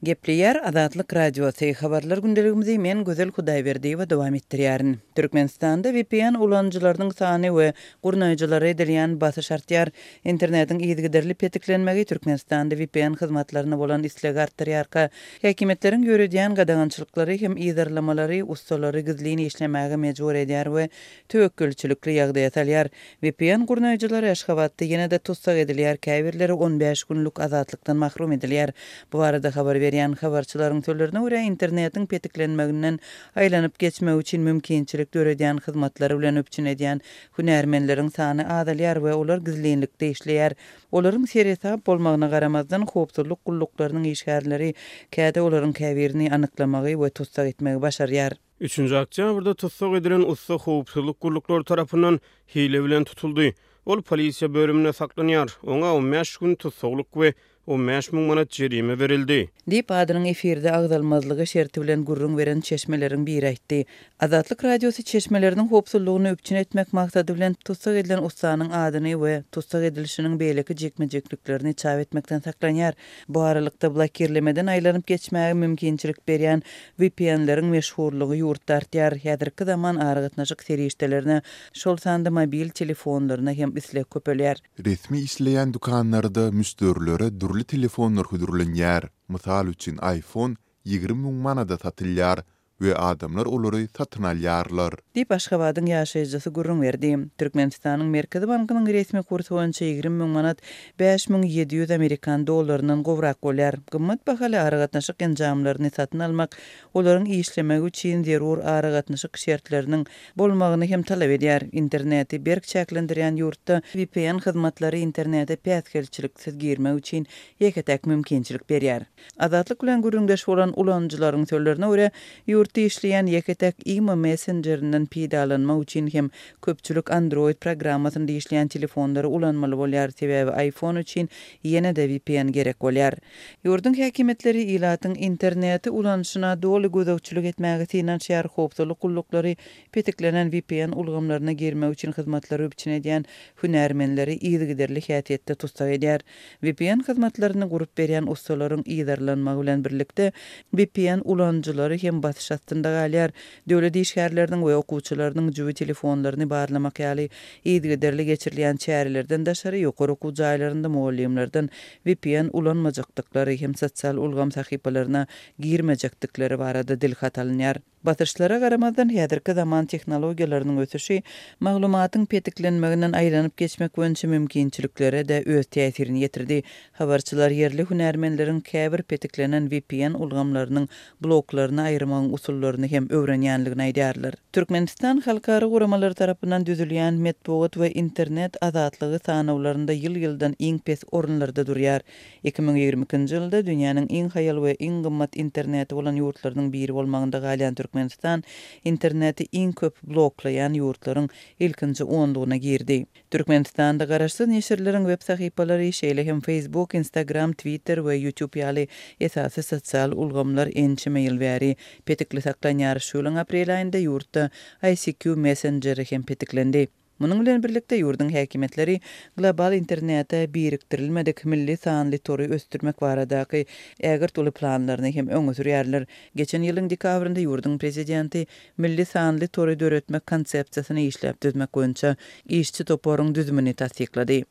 Gepleýär Azatlyk Radiosy, Habarlar gündeligimizi men Gözel Hudaýberdiýewa dowam etdirýärin. Türkmenistanda vpn ulanyjylarynyň sany we gurnaýjylara edilýän basyş artýar. Internetiň yzygiderli petiklenmegi Türkmenistanda vpn hyzmatlaryna bolan islegi artdyrýarka, häkimiýetleriň ýöredýän gadagançylyklary hem yzarlamalary ussalary gizlin işlemäge mejbur edýär we töwekgelçilikli ýagdaýa salýar. Vpn gurnaýjylary Aşgabatda ýene-de tussag edilýär, käbirleri on bäş günlük azatlykdan mahrum edilýär. Bu barada habar berýän habarçylaryň sözlerine görä, internetiň petiklenmeginden aýlanyp geçmek üçin mümkinçilik döredýän hyzmatlary bilen üpjün edýän hünärmenleriň sany azalýar we olar gizlinlikde işleýär. Olaryň seresap bolmagyna garamazdan, howpsuzlyk gulluklarynyň işgärleri käte olaryň käbirini anyklamagy we tussag etmegi başarýar. Üçünji oktýabrda tussag edilen ussa howpsuzlyk gulluklary tarapyndan hile bilen tutuldy. Ol polisiýa bölüminde saklanýar. Oňa on bäş gün tussaglyk we 15 000 manat jerime berildi. Diýip, adynyň efirde agzalmazlygy şerti bilen gürrüň beren çeşmeleriň biri aýtdy. Azatlyk Radiosy çeşmeleriniň howpsuzlygyny üpjün etmek maksady bilen, tussag edilen ussanyň adyny we tussag edilişiniň beýleki jikme-jikliklerini çap etmekden saklanýar. Bu aralykda, blokirlemeden aýlanyp geçmäge mümkinçilik berýän VPN-leriň meşhurlygy ýurtda artýar. Häzirki zaman aragatnaşyk serişdelerine, şol sanda mobil telefonlaryna hem isleg köpelýär. Resmi işleýän dükanlarda müşderilere dürli telefonlar hödürlenýär. Mysal üçin, iPhone 20 000 manada satylýar we adamlar olary satyn alýarlar. Diýip, Aşgabadyň ýaşaýjysy gürrüň berdi. Türkmenistanyň Merkezi bankynyň resmi kursy boýunça 20 000 manat 5700 amerikan dollaryndan gowrak bolýar. Gymmat bahaly aragatnaşyk enjamlaryny satyn almak olaryň işlemegi üçin zerur aragatnaşyk şertleriniň bolmagyny hem talap edýär. Interneti berk çäklendirýän ýurtda vpn hyzmatlary internete päsgelçiliksiz girmek üçin ýeke-täk mümkinçilik berýär. Azatlyk bilen gürrüňdeş bolan ulanyjylaryň sözlerine görä, ýurtda işleýän ýeke-täk imo messenjerinden peýdalanmak üçin hem köpçülik Android programmasynda işleýän telefonlary ulanmaly bolýar, sebäbi iPhone üçin ýene-de vpn gerek bolýar. Ýurduň häkimiýetleri ilatyň interneti ulanyşyna doly gözegçilik etmäge synanyşýar, howpsuzlyk gulluklary petiklenen vpn ulgamlaryna girmek üçin hyzmatlary üpjün edýän hünärmenleri yzygiderli häsiýetde tussag edýär. Vpn hyzmatlaryny gurup berýän ussalaryň yzarlanmagy bilen birlikde, vpn ulanyjylary hem basyş astynda galýar. Döwlet işgärleriniň we okuwçylarynyň jübi telefonlaryny barlamak ýaly yzygiderli geçirilýän çärelerden daşary, ýokary okuw jaýlarynda mugallymlardan vpn ulanmajakdyklary hem sosial ulgam sahypalaryna girmejekdikleri barada dilhat alynýar. Basyşlara garamazdan, häzirki zaman tehnologiýalarynyň ösüşi maglumatyň petiklenmeginden aýlanyp geçmek boýunça mümkinçiliklere-de öz täsirini ýetirdi. Habarçylar ýerli hünärmenleriň käbir petiklenen vpn ulgamlarynyň bloklaryny aýyrmagyň usullaryny hem öwrenýändigini aýdýarlar. Türkmenistan halkara guramalary tarapyndan düzülýän metbugat we internet azatlygy sanawlarynda ýyl-ýyldan iň pes orunlarda durýar. 2022-nji ýylda dünýäniň iň haýal we iň gymmat interneti bolan ýurtlarynyň biri bolmagynda galýan Türkmenistan interneti iň köp bloklaýan ýurtlaryň ilkinji onlugyna girdi. Türkmenistanda garaşsyz neşirleriň web sahypalary, şeýle hem Facebook, Instagram, Twitter we YouTube ýaly esasy sosial ulgamlar ençeme ýyl bäri petikli saklanýar. Şu ýylyň aprel aýynda ýurtda ICQ messenjeri hem petiklendi. Munuň bilen birlikde, ýurduň häkimiýetleri global internete birikdirilmedik milli sanly tory ösdürmek baradaky ägirt uly planlaryny hem öňe sürýärler. Geçen ýylyň dekabrynda ýurduň prezidenti milli sanly tory döretmek konsepsiýasyny işläp düzmek boýunça işçi toparyň düzümini tassyklady.